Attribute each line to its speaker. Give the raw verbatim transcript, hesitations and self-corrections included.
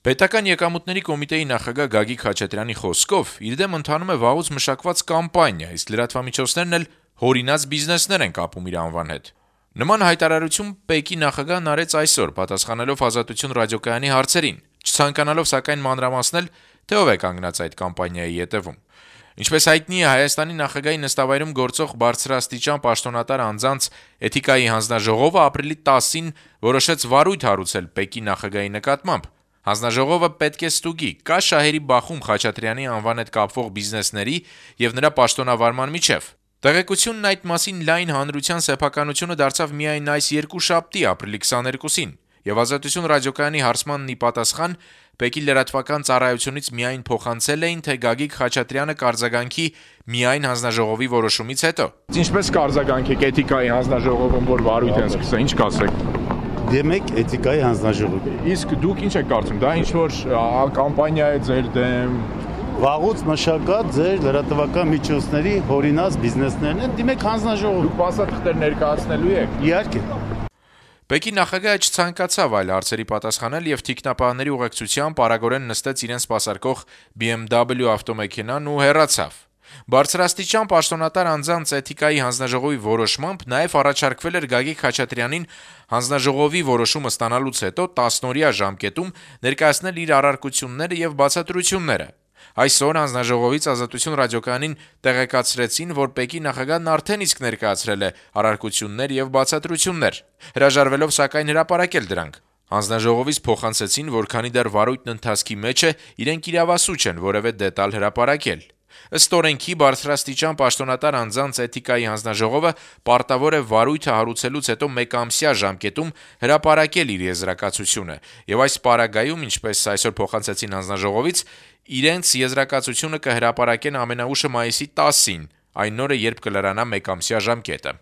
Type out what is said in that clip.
Speaker 1: Պետական եկամուտների կոմիտեի նախագահ Գագիկ Խաչատրյանի խոսքով իր դեմ ընթանում է վաղուց մշակված կամպանիա, իսկ լրատվամիջոցներն էլ հորինած բիզնեսներ են կապում իր անվան հետ։ Նման հայտարարություն ՊԵԿ-ի նախագահն արեց այսօր, պատասխանելով Ազատություն ռադիոկայանի հարցերին, չցանկանալով սակայն մանրամասնել, թե ով է կանգնած այդ կամպանիայի ետևում։ Ինչպես հայտնի է, Հայաստանի նախագահի նստավայրում գործող բարձրաստիճան պաշտոնատար անձանց էթիկայի հանձնաժողովը ապրիլի տասին որոշեց վարույթ հարուցել ՊԵԿ-ի նախագահի նկատմամբ։ Հանձնաժողովը պետք է ստուգի, կա շահերի բախում Խաչատրյանի անվան հետ կապվող բիզնեսների եւ նրա պաշտոնավարման միջեւ։ Տեղեկությունն այդ մասին լայն հանրության սեփականությունը դարձավ միայն այս երկուշաբթի ապրիլի քսաներկուսին, եւ Ազատություն ռադիոկայանի հարցմանն ի պատասխան ՊԵԿ-ի լրատվական ծառայությունից միայն փոխանցել էին, թե Գագիկ Խաչատրյանը կարձագանքի միայն հանձնաժողովի որոշումից հետո։
Speaker 2: Ինչպես կարձագանքեք էթիկայի հանձնաժողովում, որ վարույթ են սկսել, ինչ կասեք։
Speaker 3: Դեմեք էթիկայի հանձնաժողովի։
Speaker 2: Իսկ դուք ինչ եք կարծում, դա ինչ որ կամպանիա է ձեր դեմ։
Speaker 3: Վաղուց մշակած ձեր լրատվական միջոցների հորինած բիզնեսներն են, դիմեք հանձնաժողով։
Speaker 2: Դուք փաստաթղթեր ներկայացնելու եք։
Speaker 3: Իհարկե։
Speaker 1: ՊԵԿ-ի նախագահը չցանկացավ այլ հարցերի պատասխանել եւ թիկնապահների ուղեկցությամբ արագորեն նստեց իրեն սպասարկող բի էմ դաբլյու ավտոմեքենան ու հեռացավ։ Բարձրաստիճան պաշտոնատար անձանց էթիկայի հանձնաժողովի որոշմամբ նաեւ առաջարկվել էր Գագիկ Խաչատրյանին հանձնաժողովի որոշումը ստանալուց հետո տասնօրյա ժամկետում ներկայացնել իր առարկությունները եւ բացատրությունները։ Այսօր հանձնաժողովից Ազատություն ռադիոկայանին տեղեկացրեցին, որ ՊԵԿ-ի նախագահն արդեն իսկ ներկայացրել է առարկություններ եւ բացատրություններ, հրաժարվելով սակայն հրապարակել դրանք։ Հանձնաժողովից փոխանցեցին, որ քանի դեռ վարույթն ընթացքի մեջ է, իրենք իրավասու չեն որևէ դետալ հրապարակել։ Ըստ օրենքի բարձրաստիճան պաշտոնատար անձանց էթիկայի հանձնաժողովը պարտավոր է վարույթը հարուցելուց հետո մեկամսյա ժամկետում հրապարակել իր եզրակացությունը, եւ այս պարագայում, ինչպես այսօր փոխանցեցին հանձնաժողովից, իրենց եզրակացությունը կհրապարակեն ամենաուշը մայիսի տասին, այն օրը, երբ կլրանա մեկամսյա ժամկետը։